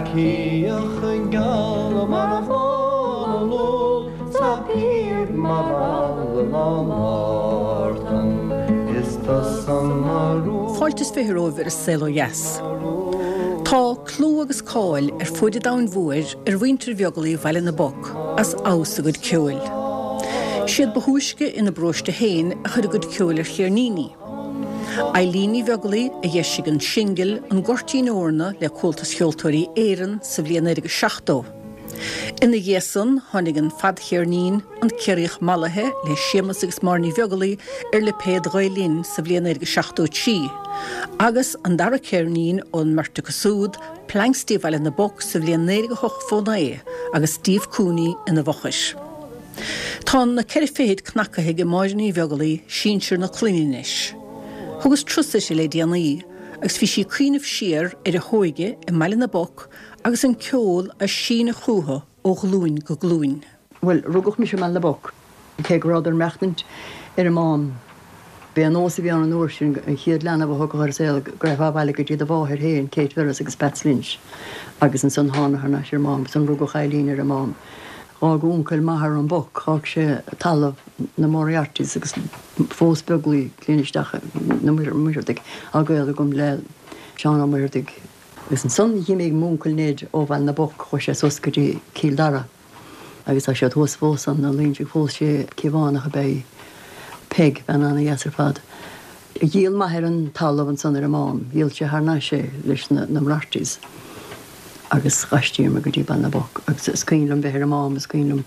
Cíoch geal mar bhán an úll 's a píob mar eala Mártan is tusa mo rún. Fáilte is 20 romhaibh ar An Saol Ó Dheas. Tá clú agus cáil ar fuaid an domhain mhóir ar mhuintir Bheaglaoich Bhaile na bPoc as fheabhas a gcuid ceoil. Siad ba thúisce ina bparóiste féin a chuir a gcuid ceoil ar cheirníní. Eileen Ní Bheaglaoich a d'eisigh an singil An Goirtín Eorna le Comhaltas Cheoltóirí Éireann sa bhliain 1970. Ina dhiaidh san tháinig an fadcheirnín An Ciarraíoch Mallaithe le Séamus agus Máire Ní Bheaglaoich ar lipéad Ghael Linn sa bhliain 1973 agus an dara ceirnín ón mbeirt acu súd, Planxty Bhaile na bPoc sa bhliain 1989 agus Steve Cooney ina bhfochair. Tá na ceithre fichid cnacaithe ag Máire Ní Bheaglaoich, sinsear na clainne anois. Thugas turas uirthi le déanaí agus bhí sí ag cuimhneamh siar ar a hóige i mBaile na bPoc agus an ceol á síneadh chúthu ó ghlúin go glúin. Bhuel, rugadh mise i mBaile na bPoc, cé go rabhadar ag maireachtaint ar an Mám. B'é an nós a bhí ann an uair sin, an chéad leanbh a thiocfadh ar an saol, go raghfá abhaile go dtí do mháthair féin, Kate Ferris agus Peats Lynch, agus ansan thánadar thar n-ais ar an Mám, agus ansan rugadh Eileen ar an Mám. Dh'fhág uncail m'athar an Boc, dh'fhág sé talamh na Moriartys agus phós Beaglaoich clainn isteach na Muircheartaigh, tá gaol agam le Seán Ó Muircheartaigh. Agus ansan dh'imigh m'uncail Ned ó Bhaile na bPoc, chuaigh sé suas go dtí Cill Dara agus tá siad thuas fós ann, na Loingsigh, phós sé Cíobhánach ab ea í, Peig, bean ana-dheas ar fad. Dhíol m'athair an talamh ansan ar an Mám, dhíol sé thar n-ais é leis na Moriartys agus dh'aistríomar go dtí Baile na bPoc agus is cuimhin liom bheith ar an Mám, is cuimhin liom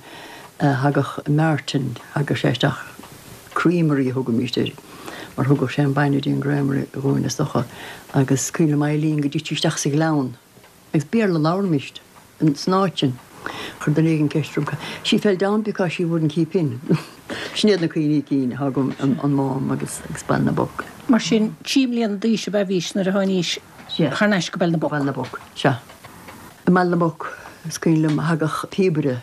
thagadh Martin, thagadh sé isteach, creamery a thugaimíst air mar thugadh sé an bainne dtí an gcreamery dhúinn is dócha agus is cuimhin liom Eileen go dtití isteach sa ghleann Agus Béarla a labhraimíst san áit sin. Chuir duine éigin ceist orm, She fell down because she wouldn't keep in. Sin iad na cuimhní cinn atá agam an Mám agus Baile na bPoc. Mar sin, trí mbliana d'aois ab ea bhís nuair a tháinís thar n-ais go Baile na bPoc? Baile na bPoc, sea. I mBaile na bPoc, is cuimhin liom, thagadh píobaire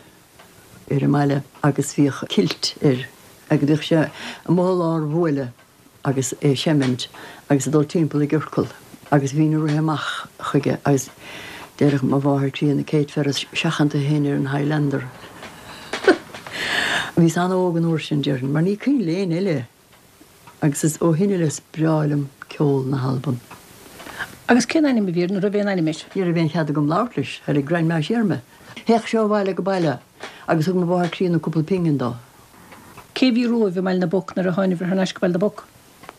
ar an mbaile agus bhíodh kilt air agus bhíodh sé amuigh i lár bhuaile agus é ag seimint agus ag dul timpeall i gciorcal agus bhínn ag rith amach chuige agus deireadh mo mháthair críonna Kate Ferris seachain tú féin ar an Highlander. Bhíos an-óg an uair sin, déarfainn, mar ní cuimhin le éinne eile agus is ó shin i leith is breá liom ceol na hAlban. Agus cén ainm a bhí air, nó raibh aon ainm air? Ní raibh aon chead agam labhairt leis, thairg Grandma siar mé. Théadh sé ó bhaile go baile agus thug mo mháthair críonna cúpla pingin dó. Cé bhí romhaibh i mBaile na bPoc nuair a tháinibhir thar n-ais go Baile na bPoc?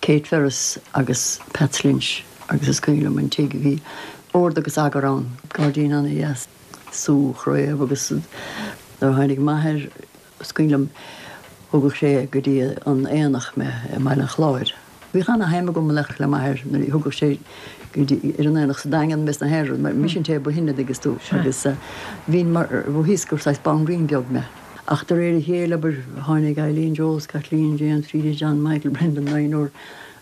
Kate Ferris agus Peats Lynch agus is cuimhin liom an tigh, bhí ord agus eagar ann, gairdín ana-dheas, sú chraobh agus nuair a tháinig m'athair, is cuimhin liom, thugadh sé go dtí an aonach mé i mBaile an Chláir. Bhíodh ana-shuim agam le le m'athair nuair a thugadh sé go dtí ar an aonach sa Daingean mé sna haon rud mar mise an té ba shine dtuigeann tú agus bhínn mar bhí fhios gur saghas banríon beag mé. Ach de réir a chéile abair tháinig Eileen, Joe, Kathleen, James, Freda, John, Michael, Brendan, naonúr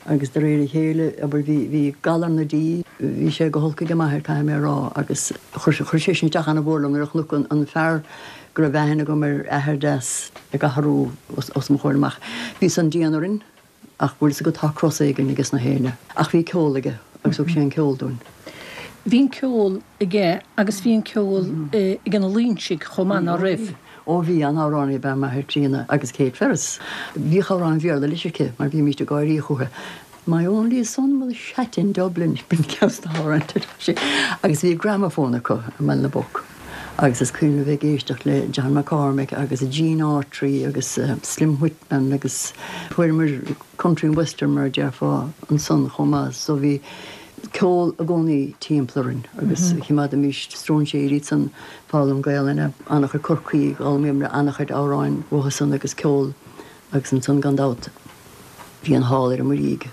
agus de réir a chéile abair bhí bhí galar na dí bhí sé go holc ag m'athair caithfidh mé a rá agus chuir chuir sé sin isteach ana-mhór liom nuair a chonac an an fear go raibh aithne agam air athair deas ag athrú os os mo chomhair amach. Bhí san dian orainn. Ach bhfuil fhios agat tá cros éigin aige sna héinne. Ach bhí ceol aige agus thug sé an ceol dúinn. Bhí an ceol aige agus bhí an ceol ag na Loingsigh chomh maith, ná raibh? Ó bhí, an-amhránaí ab ea m'athair críonna agus Kate Ferris. Bhíodh amhráin Bhéarla leis aici mar bhímíst ag gáirí chúithi. My only son was shat in Dublin, b'in ceann de na hamhráin a deir sí. Agus bhí gramophone acu i mBaile na bPoc agus is cuimhin liom bheith ag éisteacht le John McCormack agus Gene Autry agus Slim Whitman. Agus fuaireamar country and western mar a déarfá ansan chomh maith so bhí ceol i gcónaí timpeall orainn agus choimeádaimís stróinséirí ansan foghlaim Gaelainne, an-chuid Corcaígh, d'fhoghlaimíomar an-chuid amhráin uathusan agus ceol agus ansan gan dabht bhí an hall ar an Muirígh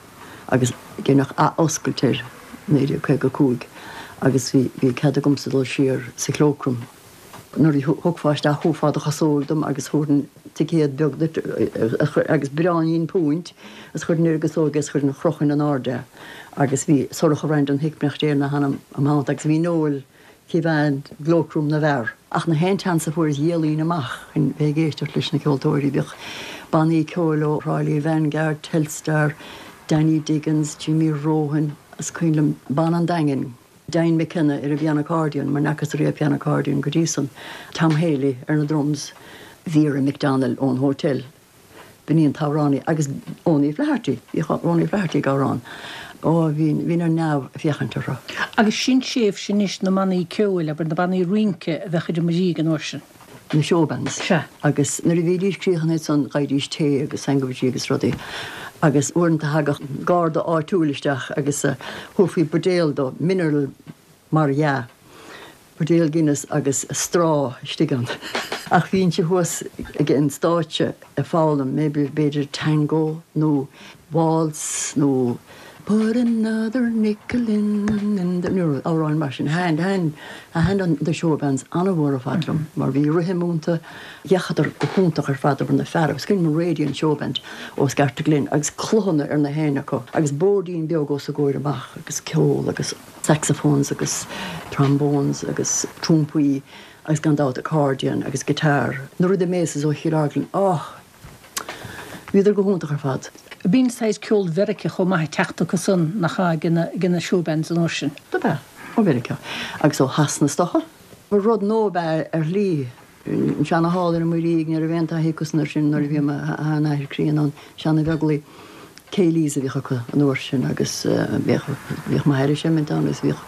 agus deineadh ath-oscailt air 1955 agus bhí bhí cead agamsa dul siar sa cloakroom. Nuair a thiocfá isteach thabharfá do chasóg dom agus thabharfainn ticéad beag duit agus braoinín púint agus chuirfinn ar an gcasóg é is chuirfinn chrochfainn in airde é agus bhí Sorcha Randon Hickman Déan a hainm im theannta agus bhí Noel coimhéad cloakroom na bhfear. Ach na haon chance a fuaireas dhéalaínn amach chun bheith ag éisteacht leis na ceoltóirí. Bhíodh bannaí ceoil ó Thrá Lí, Vanguard, Telstar, Danny Diggins, Jimmy Rohan, is cuimhin liom banna an Daingin. Dean McKenna ar an bpiano accordion, mar n'fhacthas riamh piano accordion go dtí san, Tom Haley ar na drums, Vera McDonnell ón hotel, b'in í an t-amhránaí, agus Owenie Flaherty, bhíodh Owenie Flaherty ag amhrán. Ó, bhínn, bhínn ar neamh ag féachaint orthu. Agus sin tréimhse anois na mbannaí ceoil, abair, na bannaí rince a bheadh ar an Muirígh an uair sin. Na showbands. Sea. Agus nuair a bhídís críochnaithe ansan gheibhidís tae agus sandwichí agus rudaí. Agus uaireanta thagadh garda áitiúil isteach agus thabharfaí buidéal dó, mineral mar dhea, buidéal Guinness agus straw istigh ann. Ach bhínnse thuas ag an stáitse ag foghlaim, maybe b'fhéidir tango nó waltz nó Put another nickel in in the nó amhráin mar sin. Thaitin, thaitin, thaitin an the showbands an-mhór ar fad liom mar bhí rithim iontu, d'fhéachadar go hiontach ar fad abair na feara. Is cuimhin liom Radiant Showband ó Scartaglin agus cluthanna ar na héinne acu agus boirdín beag os a gcomhair amach agus ceol agus saxophones agus trombones agus trumpaí agus gan dabht accordion agus guitar. Na Rhythm Aces ó Chill Orglan, oh! Bhíodar go hiontach ar fad. Bíonn saghas ceol Mheiriceá chomh maith ag teacht acu san, nach ea, ag na showbands an uair sin? Dob ea, ó Mheiriceá agus ó Shasana is dócha. Ba rud nua ab ea ar shlí. An seana-hall ar an Muirígh, ní raibh aon taithí acusan air sin nuair a bhí m'sheanathair críonna ann, seana-Bheaglaoich, céilís a bhíodh acu an uair sin agus bhíodh, bhíodh m'athair ag seimint ann agus bhíodh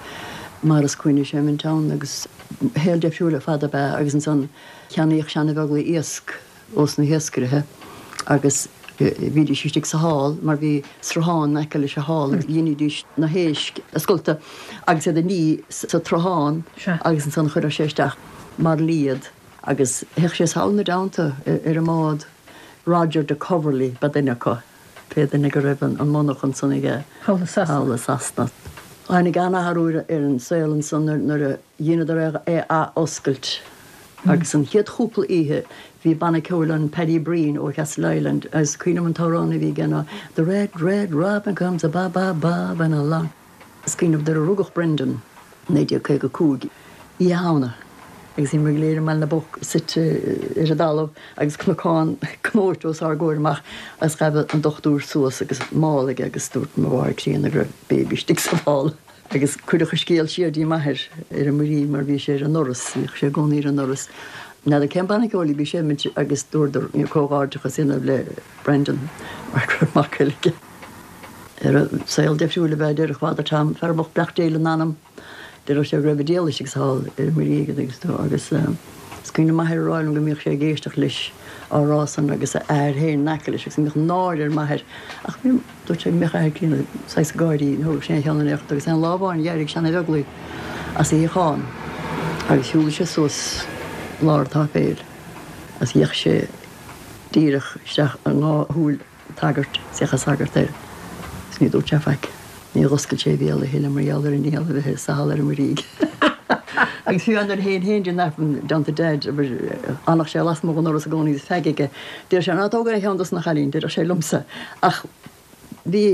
Maurice Quinn ag seimint ann agus shaol deifriúil ar fad ab ea agus ansan cheannaíodh seana-Bheaglaoich iasc ós na hiascairithe agus bhídís istigh sa hall mar bhí sruthán in aice leis an hall agus dheinidís na héisc a scoltadh agus iad a ní sa tsruthán agus ansan chuireadh sé isteach mar iad agus théadh sé sall ina dteannta ar an mbád. Roger de Coverley ba duine acu, pé duine go raibh an monarchan san aige thall i Sasana. Tháinig an-athrú ar an saol ansan nuair a dheineadar é a ath-oscailt agus an chéad chúpla oíche bhí banna ceoil ann, Paddy Breen ó Castleisland agus cuimhin liom an t-amhrán a bhí aige ná The red, red robin comes a bob, bob, bobbing along. Is cuimhin liom nuair a rugadh Brendan, 1955, Oíche Shamhna agus bhíomar go léir i mBaile na bPoc suite ar an dtalamh agus cnocán cnóite os ár gcomhair amach agus ghabh an dochtúir suas agus mála aige agus dúirt mo mháthair críonna go raibh baby istigh sa mhála. Agus cuireadh an scéal siar dtí m'athair ar an Muirígh mar bhí sé ar an ndoras, bhíodh sé i gcónaí ar an ndoras. N'fheadar cén banna ceoil a bhí ag seimint agus dúradar comhghairdeachas a dhéanamh le Brendan mar go raibh mac eile aige. Ar saol deifriúil ab ea, déarfadh Father Tom, fear bocht Bleachtaire ina anam. Déarfadh sé go raibh an diabhal istigh sa hall ar an Muirígh agus agus is cuimhin le m'athair a rá liom go mbíodh sé ag éisteacht leis á rá san agus a athair féin in aice leis agus go mbíodh náire ar m'athair ach bhí dúirt sé go mbíodh a athair críonna saghas ag gáirí ní thógadh sé aon cheann in aon chor agus aon lá amháin d'éirigh seana-Bheaglaoich as a shuíochán agus shiúlaigh sé suas lár an tsáipéil agus d'fhéach sé díreach isteach i ndá shúil an tsagairt, d'fhéach an sagart air agus ní dúirt sé faic. Níor oscail sé a bhéal a thuilleadh mar gheall ar an ndiabhal a bheith sa halla ar an Muirígh. Agus fiú nuair a théinn féin dtí an Aifreann i dteannta Daid, abair, fhanadh sé lasmuigh den ndoras i gcónaí agus feaig aige. Déarfadh sé, Ná tóg aon cheann dos na chailíní, déarfadh sé liomsa. Ach bhí.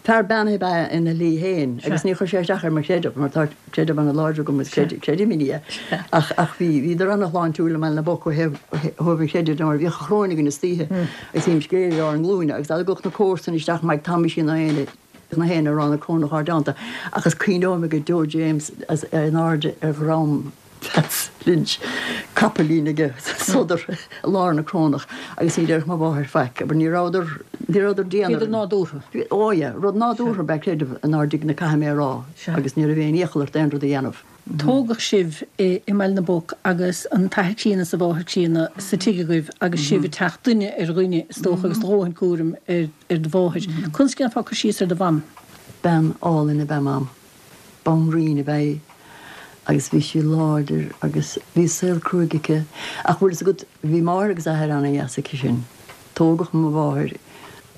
Fear beannaithe ab ea ina shlí féin agus níor chuir sé isteach ar mo chreideamh mar tá creideamh an-láidir agam agus creidim i nDia ach ach bhí bhíodar an-shláintiúil i mBaile na bPoc ó thaobh thaobh an chreidimh de mar bhíodh an choróin againn istoíche agus bhímis go léir ar ár nglúine agus dá dtagadh na comharsana isteach Mike Thomaisín ná éinne na héinne ag rá na Corónach ár dteannta ach is cuimhin liom go deo James as in airde ar dhrom Pheaits Lynch, capaillín aige, sodar i lár na corónach agus ní déarfadh mo mháthair faic, abair, ní rabhadar, ní rabhadar dian orainn. Bhíodar nádúrtha. Ó yeah, rud nádúrtha ab ea creideamh inár dtigh-ne caithfidh mé a rá agus ní raibh aon iachall ort aon rud a dhéanamh. Tógadh sibh i mBaile na bPoc agus an t-athair críonna is an mháthair críonna sa tigh agaibh agus sibh ag teacht duine ar dhuine is dócha agus do dhóthain cúraim ar do mháthair. Conas a dhéanfá cur síos ar do mham? Bean álainn ab ea mam. Banríon ab ea í agus bhí sí láidir agus bhí saol cruaidh aici. Ach bhfuil fhios agat, bhí máthair agus athair ana-dheas aici sin. Tógadh mo mháthair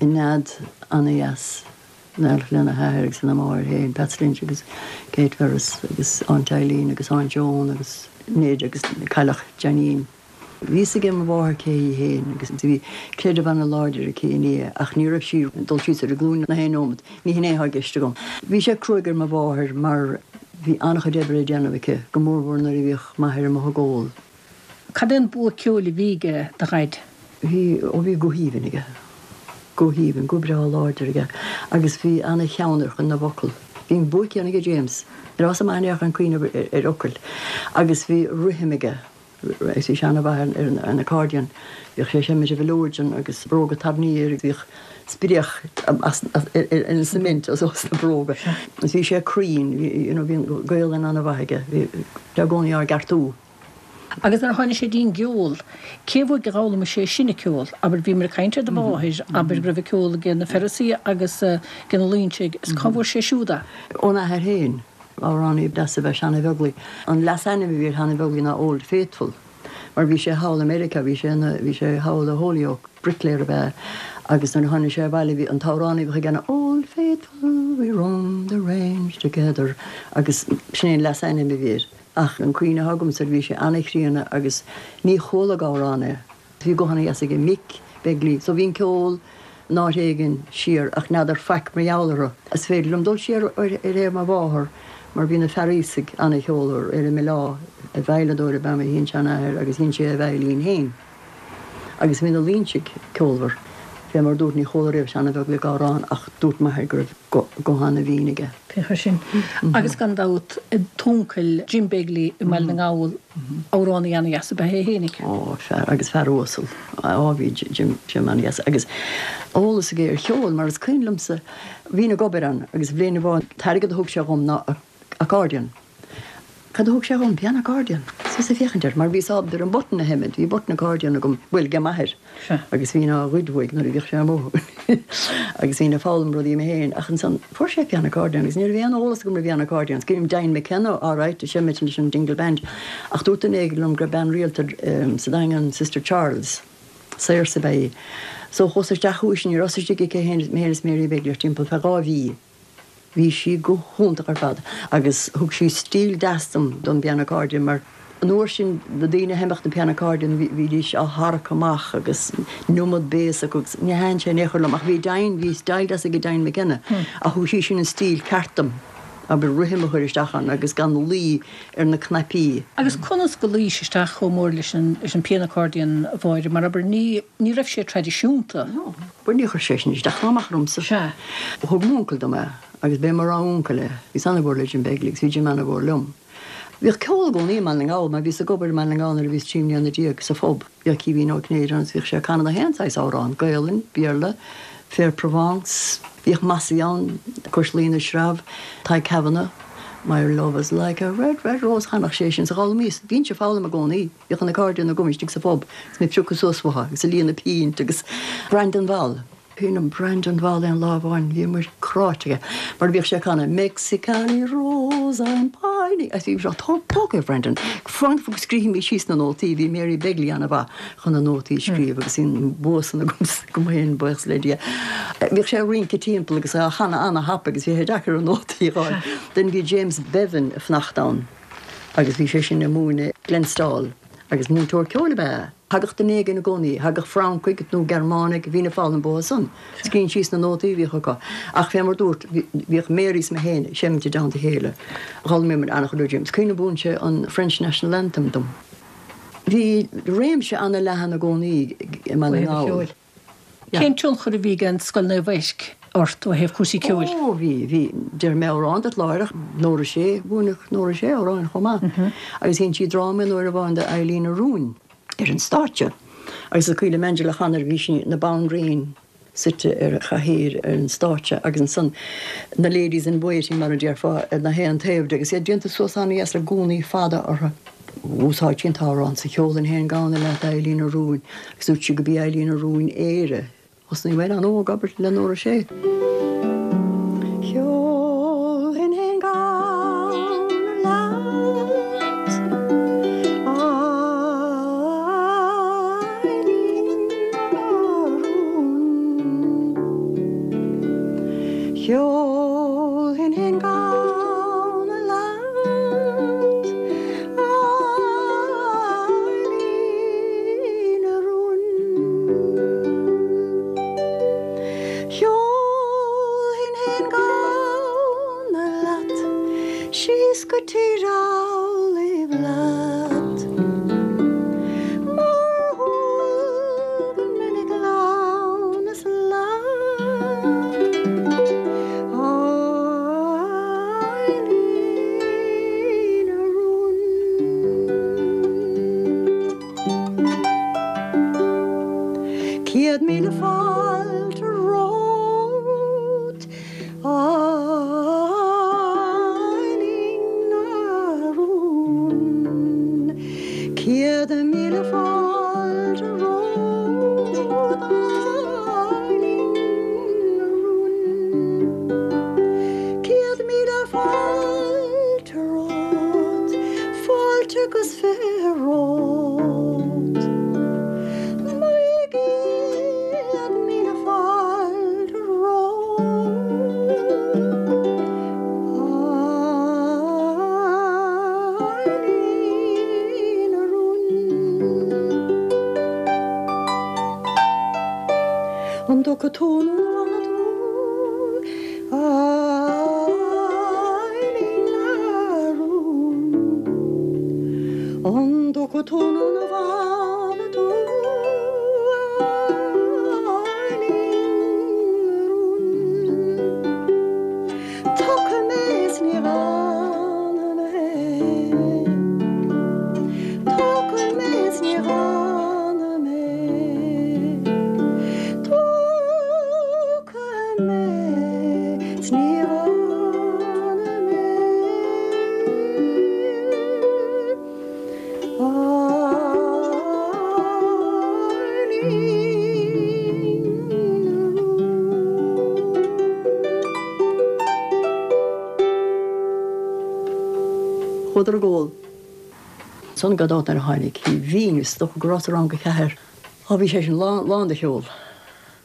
i nead ana-dheas lena hathair agus lena máthair féin, Peats Lynch agus Kate Ferris agus Aunt Eileen agus Aunt Joan agus Ned agus Cailleach Janine. Bhí fhios ag mo mháthair cé hí féin agus bhí creideamh ana-láidir aici i nDia ach ní raibh sí ag dul síos ar a glúine na haon nóimeat, ní hin é atá i gceist agam. Bhí sé cruaidh ar mo mháthair mar bhí an-chuid oibre le déanamh aici, go mórmhór nuair a bhíodh m'athair amuigh ag ól. Cad é an bua ceoil a bhí aige do Dhaid? Bhí, ó bhí guth aoibhinn aige, guth aoibhinn, guth breá láidir aige agus bhí ana-cheann ar chuid na bhfocal. Bhí an bua céanna aige James. Ní raibh a fhios agam in aon chor an cuimhneamh ar fhocail agus bhí rithim aige agus bhí sé ana-mhaith ar an accordion. Bhíodh sé ag seimint an mhileoidean agus bróga tairní air agus bhíodh spréach ar an cement os na bróga. Agus bhí sé cruinn, you know, bhí an Gaolainn ana-mhaith aige, bhí sé i gcónaí ár gceartú. Agus nuair a tháinig sé dtí'n gceol, cé uaidh a d'fhoghlaimigh sé sin an ceol? Abair, bhíomar ag caint ar do mháthair, abair go raibh an ceol ag na Ferrisaigh agus ag na Loingsigh, is cá bhfuair sé siúd é? Óna athair féin. Amhránaí deas ab ea Seán Ó Beaglaoich. An leasainm a bhí ar Sheán Ó Beaglaoich ná Old Faithful, mar bhí sé thall i Meiriceá, bhí sé ina, bhí sé thall i Holyoke, bricléir ab ea é, agus nuair a tháinig sé abhaile bhí an t-amhrán a bhíodh aige ná Old Faithful, we roamed the range together, agus sin é an leasainm a bhí air. Ach an cuimhne atá agamsa air bhí sé ana-chríonna agus ní chuala ag amhrán é. Bhí guth ana-dheas aige Mick Begley so bhí an ceol in áit éigin siar ach n'fheadar faic mar gheall orthu. Is féidir liom dul siar ar thaobh mo mháthar mar bhí na Fearaosaigh ana-cheolmhar ar an mBaile Átha. Veidhleadóir ab ea mo shin-seanathair agus sheinn sé a veidhlín féin. Agus bhí na Loingsigh ceolmhar. Fé mar dúrt ní chuala riamh Seán Ó Beaglaoich ag amhrán ach dúirt m'athair go raibh guth ana-bhinn aige. Féach air sin. Agus gan dabht t'uncail Jim Begley i mBaile na nGall, amhránaí ana-dheas ab ea é fhéinig. Ó, fear, agus fear uasal. Á, bhí Jim, Jim ana-dheas. Agus eolas aige ar cheol, mar is cuimhin liomsa, bhínn ag obair ann agus bhliain amháin, an t-airgead a thug sé dhom ná accordion. Cad a thug sé dhom? Piano accordion. Is mise ag féachaint air, mar bhíos ábalta ar an button a sheimint, bhí button accordion agam, bhuel, ag m'athair, agus bhínn á ghoid uaidh nuair a bhíodh sé amuigh agus bhínn ag foghlaim rudaí mé féin, ach ansan fuair sé piano accordion agus ní raibh aon eolas agam ar piano accordion. Is cuimhin liom Diane McKenna, alright, ag seimint leis an Dingle Band, ach dúirt duine éigin liom go raibh bean rialta sa Daingean, Sister Charles, saoirse ab ea í. So chuas isteach chuici, ní rabhas istigh aici féin, mé féin is Mary Begley timpeall feadh 2 mhí. Bhí sí go hiontach ar fad agus thug sí stíl deas dom don bpiano accordion mar an uair sin na daoine a sheinneadh na piano accordion bhídís á tharrac amach agus an iomad béas acu agus ní thaitin sé in aon chor liom ach bhí Diane, bhí style deas ag Diane McKenna ach thug sí sin an stíl ceart dom, abair rithim a chur isteach ann agus gan luí ar na cnaipí. Agus conas go luís isteach chomh mór leis an leis an piano accordion, a Mháire, mar abair ní ní raibh sé traidisiúnta. No. Bhuel níor chuir sé sin isteach ná amach ormsa. Sea. Thug m'uncail dom é agus b'é mo rogha uncail é. Bhíos ana-mhór le Jim Begley agus bhí Jim ana-mhór liom. Bhíodh ceol i gcónaí i mBaile na nGall mar bhíos ag obair i mBaile na nGall nuair a bhíos 13 mbliana sa phub. Bhíodh Caoimhín Ó Cinnéide ann agus bhíodh sé ag canadh na haon saghas amhrán, Gaolainn, Béarla, Fair Provence. Bhíodh Mossie ann, Cois Laoi na Sreabh, Tadhg Kavanagh, My love is like a red, red rose, chanadh sé sin so d'fhoghlaimíos. Bhínnse ag foghlaim i gcónaí. Bhíodh an accordion agam istigh sa phub agus mé ag piocadh suas uathu agus ag líonadh pínt agus Brandon Ball. Cuimhin liom Brandon Ball aon lá amháin bhíomar cráite aige mar bhíodh sé ag canadh Mexicali Rose I'm pining agus bhí sé tóg é Brandon. Fan go scríobfaidh mé síos na nótaí bhí Mary Begley ana-mhaith chun na nótaí a scríobh agus bhí an bua san agam féin buíochas le Dia. Bhíodh sé ag rince timpeall agus á chanadh ana-thapa agus bhí sé deacair an nótaí a fháil. Then bhí James Bevan ag fanacht ann. agus bhí sé sin ag múineadh Glenstal agus múinteoir ceoil ab ea é. Thagadh duine éigin i gcónaí, thagadh Francaigh nó Gearmánaigh, bhínn ag foghlaim uathu san, scríobhainn síos na nótaí a bhíodh acu. Ach fé mar dúrt, bhíodh Mary is mé féin ag seimint i dteannta a chéile. D'fhoghlaimíomar an-chuid ó James. Cuimhin liom mhúin sé an French National Anthem dom. Bhí réimse an-leathan i gcónaí i mBaile na nGall. Cén tionchar a bhí ag an Scoil Naomh Eirc ort ó thaobh cúrsaí ceoil? Ó, bhí, bhí. Déarfaidh mé amhrán duit láithreach. Nóra Sé, mhúineadh Nóra Sé amhráin chomh maith. Agus sheinn sí dráma aon uair amháin de Eileen na Rúin ar an stáitse. Agus is cuimhin liom Angela Connor, bhí sí ina banríon suite ar chathaoir ar an stáitse agus ansan na ladies in waiting mar a déarfá ar na haon taobh di agus iad déanta suas an-dheas le gúnaí fada orthu. Úsáid sí an t-amhrán sa Cheolfainn Féin Gamhna Leat Eileen na Rúin agus dúirt sí go b'í Eileen na Rúin Éire. Thosnaigh mé an-óg, abair, le Nóra Sé. Cheolfainn féin gamhna leat, a Eilín na Rún. Cheolfainn féin gamhna leat, a Eilín na Rún. 100,000 fáilte romhat, a Eileen a rún. 100,000 fáilte romhat, a Eileen a rún. 100,000 fáilte romhat, fáilte agus 20 romhat. 900,000 fáilte romhat, a Eileen a rún. An dtiocfaidh tú nó an bhfanfaidh tú, a Eileen a rún? An dtiocfaidh tú nó an bhfanfaidh tú, a Eileen a rún? Tiocfaidh mé is ní fhanfaidh mé. Tiocfaidh mé is ní fhanfaidh mé. Tiocfaidh mé is ní fhanfaidh mé. A Eileen a rún. Chuadar ag ól. Ansan gan dabht nuair a tháinig bhínn, is dócha go rabhas i rang a ceathair. Á bhí sé sin lán, lán de cheol.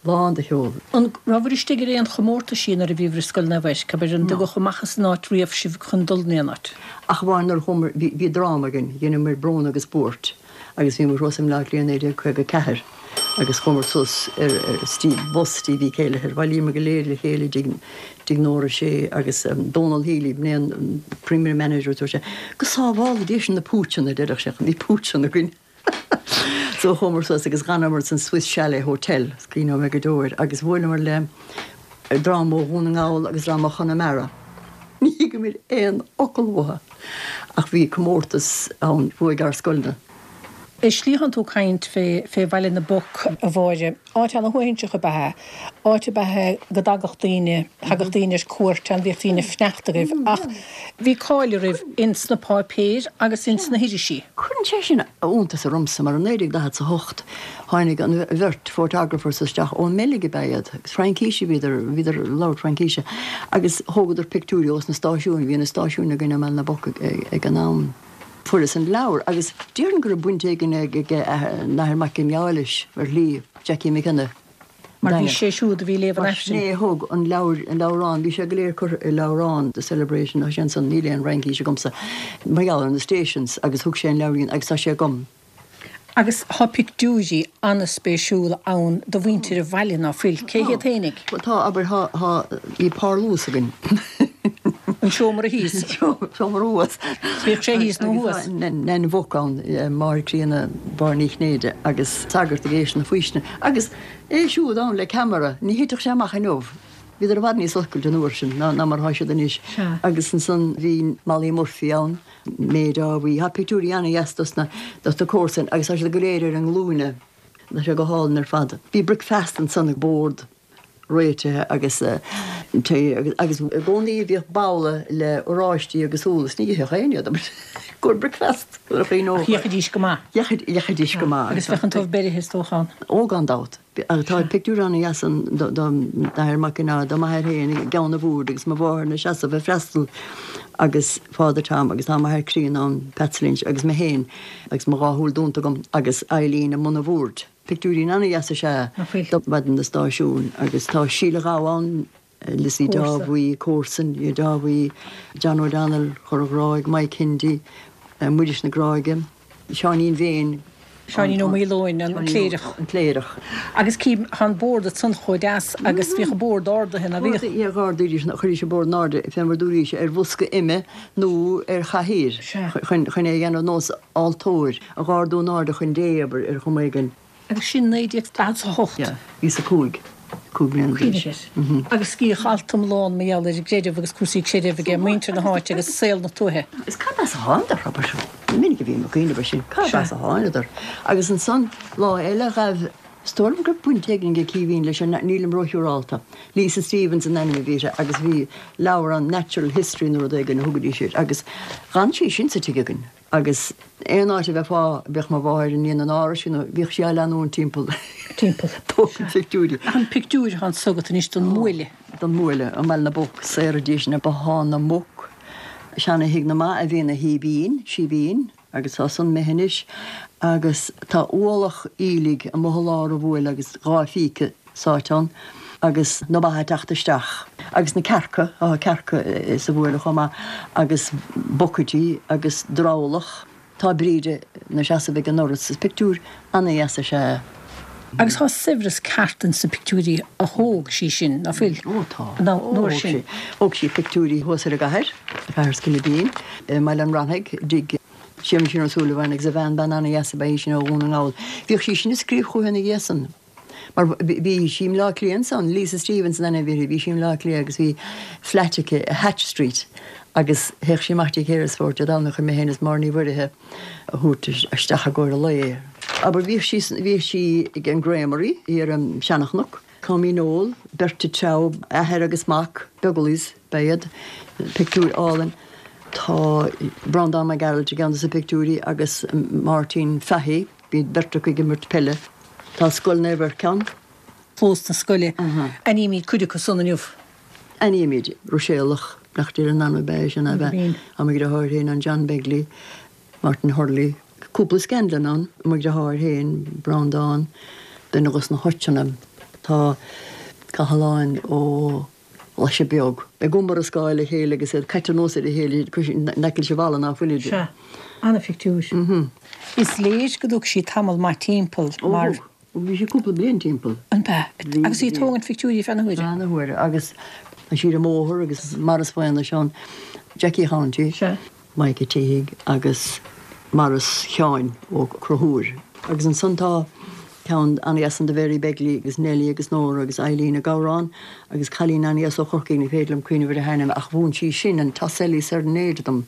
Lán de cheol. An rabhabhair istigh ar aon chomórtaisí nuair a bhíobhair i Scoil Naomh Eirc, abair, an dtugadh amach as an áit riamh sibh chun dul in aon áit? Ach amháin nuair a chuamar, bhí, bhí dráma againn, dheineamar Brón agus Buairt agus bhíomar thuas i mBleá Cliath 1954 agus chuamar suas ar, ar Steve, bus Stevie Kelleher, bhailíomar go léir le chéile i dtigh, dtigh Nóra Shea agus Donal Healy, b'in é an Premier Manager, dúirt sé, go sábhála Dia sinn na púitseanna, a deireadh sé, bhí púitseanna againn. So chuamar suas agus dh'fhanamar san Swiss Chalet Hotel, is cuimhneoidh mé go deo air, agus bhuaileamar le dream ó Dhún na nGall agus dream ó Chonamara. Ní thuigeamar aon fhocal uathu ach bhí comórtas ann, bhuaigh ár scoilne. I slí thánn tú ag caint fé fé Bhaile na bPoc, a Mháire. Áit ana-shuaithinseach ab ea é. Áit ab ea é go dtagadh daoine, thagadh daoine ar cuairt ann, bhíodh daoine ag fanacht agaibh ach bhí cáil oraibh ins na páipéir agus ins na hirisí. Cuireann sé sin iontas ormsa mar i 1948 tháinig an bheirt photographers isteach ón mBeilg ab ea iad agus Fraincíse a bhíodar, bhíodar ag labhairt Fraincíse agus thógadar pictiúirí ós na stáisiúin, bhí na stáisiúin againn i mBaile na bPoc ag an am. Fuarthas an leabhar agus déarfainn go raibh baint éigin ag an Athair Mac Cionnaith leis ar shlí, Jackie McKenna. Mar bhí sé siúd a bhí ag léamh an Mar sin é a thug an leabhar, an leabhrán, bhí sé go léir curtha i leabhrán, The Celebration, tá sé ansan, níl aon Fhraincis agamsa, mar gheall ar na stations agus thug sé an leabhairín agus tá sé agam. Agus tá pictiúirí an-spéisiúla ann de mhuintir an bhaile, ná fuil? Cé hiad fhéinig? Bhuel tá, abair, tá, tá, bhí parlús againn. An seomra thíos? Seomra thuas. Bíodh sé thíos nó thuas. Agus tá Nan Mhuc ann, máthair críonna Mháire Ní Chinnéide agus sagart ag éisteacht na faoistine. Agus é siúd ann le ceamara, ní thitfeadh sé amach inniu. Bhíodar i bhfad níos oscailte an uair sin ná mar atá siad anois. Agus ansan bhí Molly Murphy ann. May Dáibhí. Tá pictiúirí ana-dheas dos na dos na comharsain agus tá siad go léir ar a nglúine. Tá sé go hálainn ar fad. Bhí bricfeasta ansan ag bord réitithe agus tae agus agus i gcónaí bhíodh babhla le oráistí agus úll is ní itheadh éinne iad i gcomhair bricfeast nuair a chuimhneofá. Ach dheachaidís go maith. Dheachaidís go maith. Agus bheadh an t-ubh beirithe is dócha ann. Ó gan dabht. Tá pictiúr ana-dheas ann d'Athair Mac Cionnaith, do m'athair féin i gceann an bhoird agus mo mháthair ina seasamh ag freastal agus Father Tom agus tá m'athair críonna ann, Patsy Lynch, agus mé féin agus mo dhá shúil dúnta agam agus Eileen i mbun an bhoird. Pictiúirín ana-dheas is ea do mhaidin na stáisiún agus tá Síle Ghabha ann, Lizzie Dáibhí, comharsan, Dáibhí, John O'Donnell, Chora Ghráig, Mike Hendy, Muiris na Gráige. Seáinín Mhéin. Seáinín Ó Maoileoin, an cléireach. An cléireach. Agus cím, tá an bord ansan chomh deas agus bhíodh an bord ardaithe, ná bhíodh? Bhíodh, d'ardaídís, chuiridís an bord in airde, fé mar dúraís, ar bhosca ime nó ar chathaoir chun é a dhéanamh nós altóir, a dh'ardú in airde chun Dé, abair, ar chuma éigin. Agus sin 1948. Yeah, bhíos a 5, 5 bliana d'aois. Cuimhnigh air. Agus bhíodh Altum lán mar gheall ar an gcreideamh agus cúrsaí creidimh aige, muintir na háite agus saol na tuaithe. Is cad as a thánadar, abair. Minic a bhím ag cuimhneamh air sin, cad as a thánadar. Agus ansan, lá eile ghaibh. Is dóigh liom go raibh baint éigin ag Caoimhín leis, nílim róshiúrálta. Lisa Stevens an ainm a bhí uirthi agus bhí leabhrán Natural History nó rud éigin a thugaidís air agus d'fhan sí sin sa tigh againn agus aon áit a bheifeá, bheadh mo mháthair i ndiaidh an árais nó bhíodh sí á leanúint timpeall. Timpeall. Tógaint pictiúirí. Ach an pictiúr atá anso agat anois den mbuaile. Den mbuaile, i mBaile na bPoc, saoraidís na Bothán na Muc, seana-thigh na mba a bhí ina shíbín, síbín. Agus tá san imithe anois agus tá ualach aoiligh amuigh i lár an bhuaile agus dá phíce sáite ann agus na ba ag teacht isteach agus na cearca, tá cearca sa bhuaile chomh maith agus bucaidí agus drabhlach. Tá Bríde 'na seasamh ag an ndoras. Is pictiúr ana-dheas is ea é. Agus tá saibhreas ceart ins na pictiúirí a thóg sí sin, ná fuil? Ó tá. An uair sin. Thóg sí pictiúirí thuas ar an gcathair, Cathair Sceilibín, i mBaile an Ráthaigh, dtigh Séamuisín Ó Súilleabháin agus a bhean, bean ana-dheas ab ea í sin ó Dhún na nGall. Bhíodh sí sin ag scríobh chúithi ina dhiaidh san. Mar bhí sí i mBleá Cliath ansan, Lisa Stevens an ainm a bhí uirthi, bhí sí i mBleá Cliath agus bhí flat aici i Hatch Street agus théadh sí amach dtí Heresford Dé Domhnaigh chun mé féin is Máire Ní Mhuirithe a thabhairt isteach i gcomhair an lae. Abair, bhíodh sí, bhíodh sí ag an Gramarye thiar i Seanchnoc, Tommy Noel, beirt ag treabhadh, athair agus mac, Beaglaoich ba ea iad, pictiúr álainn. Tá Breandán Mac Gearailt i gceann de na pictiúirí agus Máirtín Fahy, bhí beirt acu ag imirt peile. Tá Scoil Naomh Ercan. Clós na scoile. Aithnímid cuid acu san inniu. Aithnímid. Ruiséalach, Bleachtaire in ainm ab ea é sin, ab ea? Tá mo dheartháir féin ann, John Begley, Martin Hurley, cúpla Scanlon ann, mo dheartháir féin, Breandán, duine dos na Hutcheanna. Tá Cathalán Ó Glaise Beag ag iomrascáil le chéile agus iad caite anuas ar a chéile in aice leis an bhalla ná fuilid. Sea, ana-phictiúr. Is léir go dtug sí tamall maith timpeall mar. Ó thug. Bhí sí cúpla bliain timpeall. An b'ea? Agus í ag tógaint phictiúirí feadh na huaire? Feadh na huaire. Agus tá sí ar an mbóthar agus Maurice Mhaonais ann, Jackie Chounty, Mike a' tSíthigh agus Maurice Sheáin Ó Conchúir. Agus ansan tá ceann an-dheas ann de Mhary Begley agus Nellie agus Nóra agus Eileen ag amhrán agus cailín an-dheas ó Chorcaigh, ní féidir liom cuimhneamh ar a hainm ach mhúin sí sin an Toselli Serenade dom.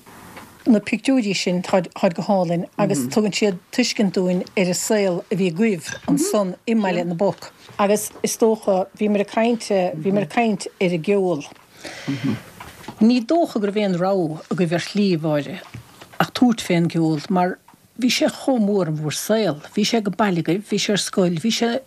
Na pictiúirí sin, táid go hálainn agus tugann siad tuiscint dúinn ar an saol a bhí agaibh ansan i mBaile na bPoc. Agus is dócha, bhíomar ag caint, bhíomar ag caint ar an gceol. Ní dócha go raibh aon rogha agaibh ar shlí, a Mháire, ach tabhairt fén gceol mar bhí sé chomh mór in bhur saol. Bhí sé ag baile agaibh, bhí sé ar scoil, bhí sé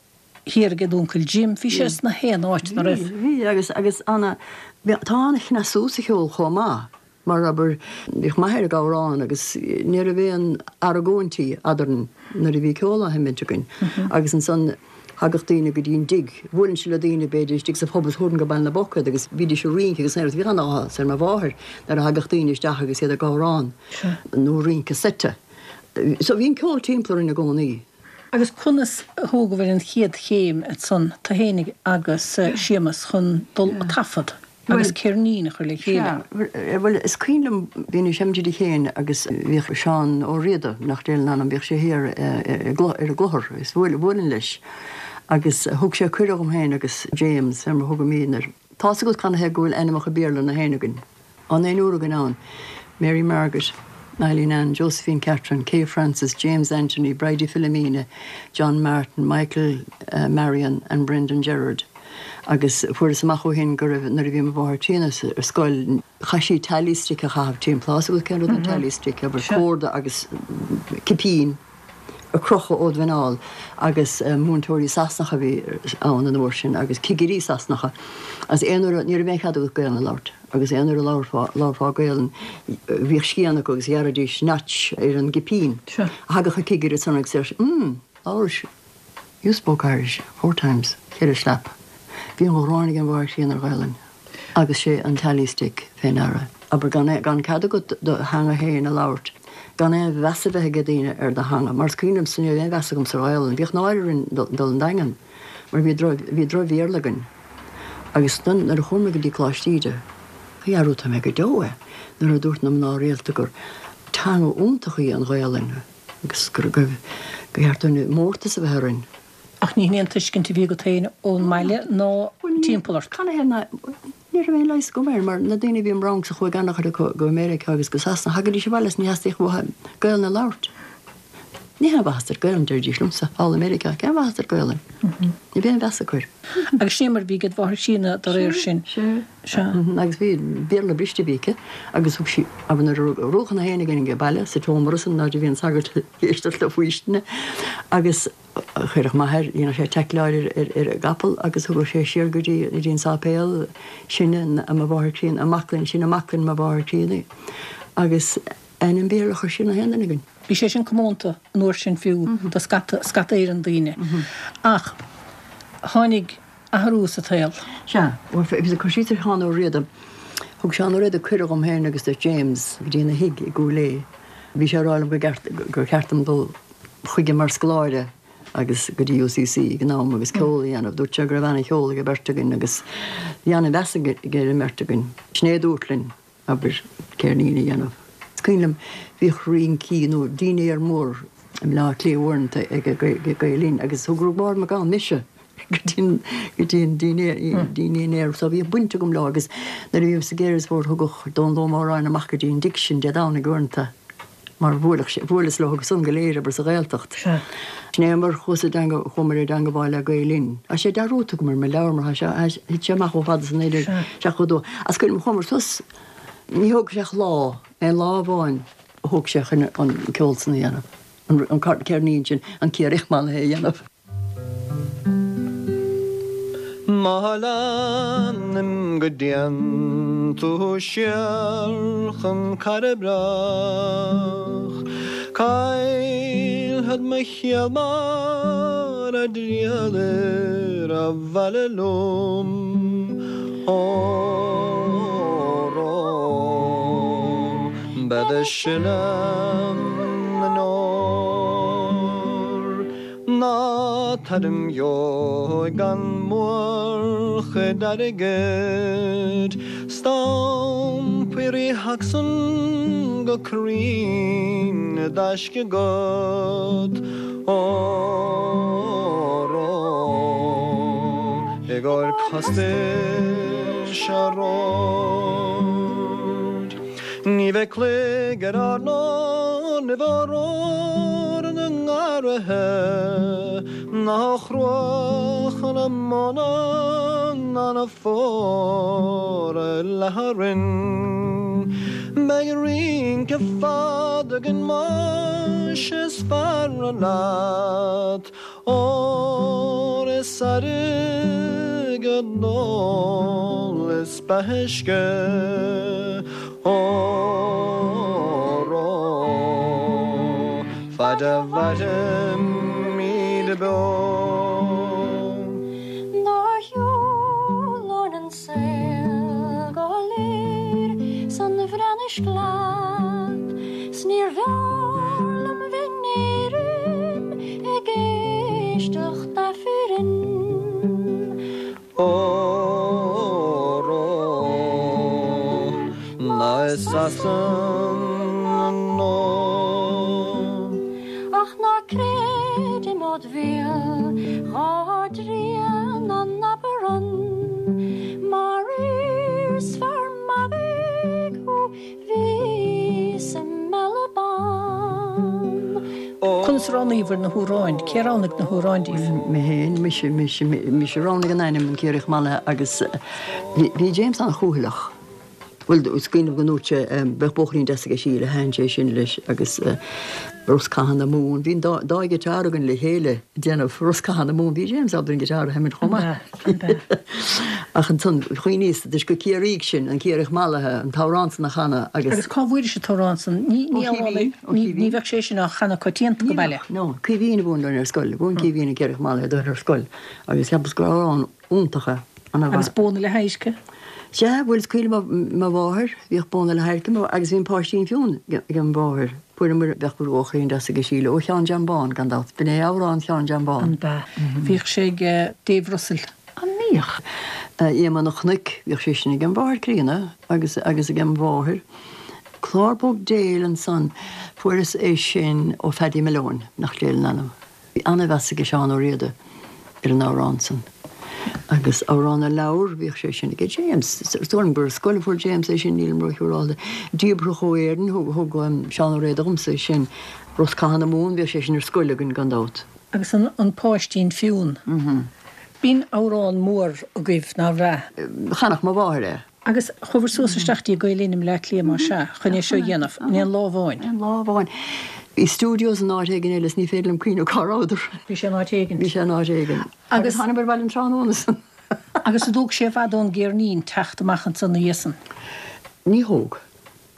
thiar ag d'uncail Jim, bhí sé sna haon áit, nach raibh? Bhí, bhí agus, agus ana, tá ana-chneasú sa cheol chomh maith. Mar, abair, bhíodh m'athair ag amhrán agus ní raibh aon argóintí eadrainn nuair a bhí ceol á sheimint againn. Agus ansan thagadh daoine go dtí an dtigh, bhuailinnse le daoine b'fhéidir istigh sa phub is thabharfainn go Baile na bPoc iad agus bhídís ag rince agus bhíodh an-áthas ar mo mháthair nuair a thagadh daoine isteach agus iad ag amhrán nó rince seite. So bhí an ceol timpeall orainn i gcónaí. Agus conas a thógabhair an chéad chéim ansan, tu fhéinig agus Séamus, chun dul a taifead agus ceirnín a chur le chéile? Sea, bhuel, is cuimhin liom, bhínn ag seimint i dtigh Shéain agus bhíodh Seán Ó Riada, nach Déan an ainm, bhíodh sé thiar ar an gClochar agus bhuailinn leis agus thug sé cuireadh dhom féin agus James, ar mar a thugaimídne air. Tá's agat canathaobh go bhfuil ainmeacha Béarla na haon againn? An naonúr againn ann, Mary Margaret, Eileen Ann, Josephine Catherine, Kay Frances, James Anthony, Bridie Philomena, John Martin, Michael Marion and Brendan Gerard. Agus fuaireas amach ó shin go raibh, nuair a bhí mo mháthair críonna ar scoil, chaith sí tally stick a chaitheamh timpeall. Tá's agat cén rud an tally stick, abair, córda agus cipín. a crochadh ó do mhuineál agus múinteoirí Sasanacha a bhí ann an uair sin agus cigirí Sasanacha agus aon uair a, ní raibh aon chead agat Gaelainn a labhairt agus aon uair a labharfá, labharfá Gaelainn bhíodh scian acu agus ghearraidís notch ar an gcipín. Thagadh an cigire ansan agus deir sé, mm, labhrais, you spoke Irish four times, cheithre slap. Bhí an ghráin ag an mháthair chríonna ar Ghaelainn. Agus sé an tally stick fé ndeara. Abair, gan, gan cead agat do theanga féin a labhairt, gan aon mheas a bheith ag daoine ar do theanga, mar is cuimhin liomsa ní raibh aon mheas agamsa ar Ghaelainn, bhíodh náire orainn dul an Daingean mar bhí droch, bhí droch-Bhéarla againn. Agus ansan nuair a chuaigh mé go dtí Coláiste Íde, dhearúdfaidh mé go deo é, nuair a dúirt na mná rialta gur teanga iontach í an Ghaelainn agus gur, gur cheart dúinn mórtas a bheith orainn. Ach ní hin é an tuiscint a bhí agat féin ón mbaile ná timpeall ort. Canathaobh ná ní raibh aon leigheas agam air, mar na daoine a bhí im rangsa chuaigh an-chuid acu go Meiriceá agus go Sasana, thagaidís abhaile is ní theastaíodh uathu Gaelainn a labhairt. Ní haon mhaitheas duit Gaelainn, deiridís liomsa, thall i Meiriceá, cén mhaitheas duit Gaelainn? Ní bheidh aon mheas acu air. Agus sin é mar a bhí ag do mháthair chríonna dá réir sin. Sea. Sea. Agus bhí, Béarla briste a bhí aici agus thug sí, abair nuair a rugadh na héinne againn ag baile sa tseomra san áit a bhí an sagart ag éisteacht le faoistine agus chuireadh m'athair, dhéanadh sé teaicleáil ar an gcapall agus thugadh sé siar go dtí, go dtí an sáipéal sinne, mo mháthair chríonna, i Maclainn, sin i Maclainn mo mháthair chríonna agus ainm Béarla a chuir sí ar na haon duine againn. Bhí sé sin comónta an uair sin fiú do scata, scata Éireann daoine. Ach tháinig athrú sa tsaol. Sea, bhuel, bhí cur síos ar Sheán Ó Riada. Thug Seán Ó Riada cuireadh dhom féin agus do James go dtí ina thigh i gCúil Aodha. Bhí sé ag rá liom go gceart, gur cheart dom dul chuige mar scoláire agus go dtí UCC ag an am agus ceol a dhéanamh. Dúirt sé go raibh ana-cheol ag an bheirt againn agus bhí ana-mheas aige ar an mbeirt againn. Sin é a dúirt linn, abair, ceirnín a dhéanamh. Is cuimhin liom, bhíodh rincí nó dinnéar mór i mBleá Cliath uaireanta ag Gael Linn agus thug Roibeárd Mac Gabhann mise go dtí an dinnéar so bhíodh baint agam leo agus nuair a bhíos ag Erisford thugadh Dónal Ó Móráin amach go dtí an dtigh sin Dé Domhnaigh uaireanta mar bhuaileadh sé, bhuaileas leo san go léir abair sa Ghaeltacht. Sin é mar chuas i dteanga, chuamar i dteangabháil le Gael Linn. Tá sé dearúdta agam ar mo leabhar mar tá sé, thit sé amach chomh fada san 1972. Is cuimhin liom chuamar suas, ní thóg sé ach lá, aon lá amháin a thóg sé chun an ceol san a dhéanamh, an ceirnín sin, an Ciarraíoch Mallaithe a dhéanamh. Má leanaim go dtéann tú siar chun Cairbre, caillfead mo chiall mara dtriallir abhaile liom. Óró, bead ag sileadh na ndeor. Ná tar im dheoidh gan mórchuid airgid, 's d'iompaigh Rí Shacsan go cruinn i dtaisce agat, Óró, i gcomhair costais an róid. Ní bheidh cloig ar ár ndorn i bhforóir na ngarraithe, ná cruach na móna ná na fómhra leathadh orainn. Beidh rince fada againn más is fearra leat, Ór is airgead ól is beatha uisce, Óró, faid a mhairimid beo. Nár shiúil orainn an saol go léir san bhreatnais leat, 's níor bhfearr liom bheith in Éirinn ag éisteacht Aifrinn. Óró, ná i Sasana nó. Ach ná creid i mod bhéal dhá dtrian an abarann, mar is fear magaidh thú bhí sa mBealach Bán. Conas a roghnaíobhair na hamhráin? Cé a roghnaigh na hamhráin díbh? Mé féin, mise, mise, mise a roghnaigh an ainm, An Ciarraíoch Mallaithe agus bhí James an-chúthaileach. Bhuel, is cuimhin liom go ndúirt sé, bheadh bóithrín deas aige Síle, thaitin sé sin leis agus Rosc Catha na Mumhan. Bhí an dá ghiotár againn le chéile ag déanamh Rosc Catha na Mumhan. Bhí James ábalta an giotár a sheimint chomh maith. Ach ansan chuimhníos, toisc gur Ciarraígh sinn, an Ciarraíoch Mallaithe, an t-amhrán san a chanadh agus. Agus cá bhfuairis an t-amhrán san? Ní, ní amhrán é, ní, ní bheadh sé sin á chanadh coitianta go baile. No, Caoimhín a mhúin dúinn ar scoil. Mhúin Caoimhín an Ciarraíoch Mallaithe dúinn ar scoil agus cheapas gur amhrán iontach é. Agus Bóna le hAdhairce? Sea, bhuel is cuimhin liom mo mháthair, bhíodh Bóna le hAdhairce agus bhí an Páistín Fionn ag mo mháthair. Fuaireamar, bheadh bóithrín deas aige Síle, ó Sheán Jam Bán, gan dabht. B'in é amhrán Sheáin Jam Bán. An b'ea? Bhíodh sé ag Dave Russell. An mbíodh? Iomaí na Cnoic, bhíodh sé sin ag an mháthair críonna agus agus ag an mháthair. Clár Bog Déil ansan, fuaireas é sin ó Phaddy Malone, nach léir an ainm. Bhí an-mheas aige Seán Ó Riada ar an amhrán san. Agus Amhrán na Leabhar, bhíodh sé sin aige James. Is dóigh liom gur ar scoil a fuair James é sin, nílim róshiúrálta. Díbeartha ó Éirinn, thug Seán Ó Riada dhomsa é sin. Rosc Catha na Mumhan, bhíodh sé sin ar scoil againn gan dabht. Agus an Páistín Fionn. B'in amhrán mór agaibh, nárbh ea? Chanadh mo mháthair é. Agus chuabhair suas isteach dtí Gael Linn i mBleá Cliath más ea, chun é seo a dhéanamh, in aon lá amháin. Aon lá amháin. Bhí studios in áit éigin eile is ní féidir liom cuimhneamh cá rabhadar. Bhí sé in áit éigin. Bhí sé in áit éigin. Agus thánamair abhaile an tráthnóna san. Agus an dtóg sé i bhfad ón gceirnín teacht amach ansan ina dhiaidh san? Ní thóg.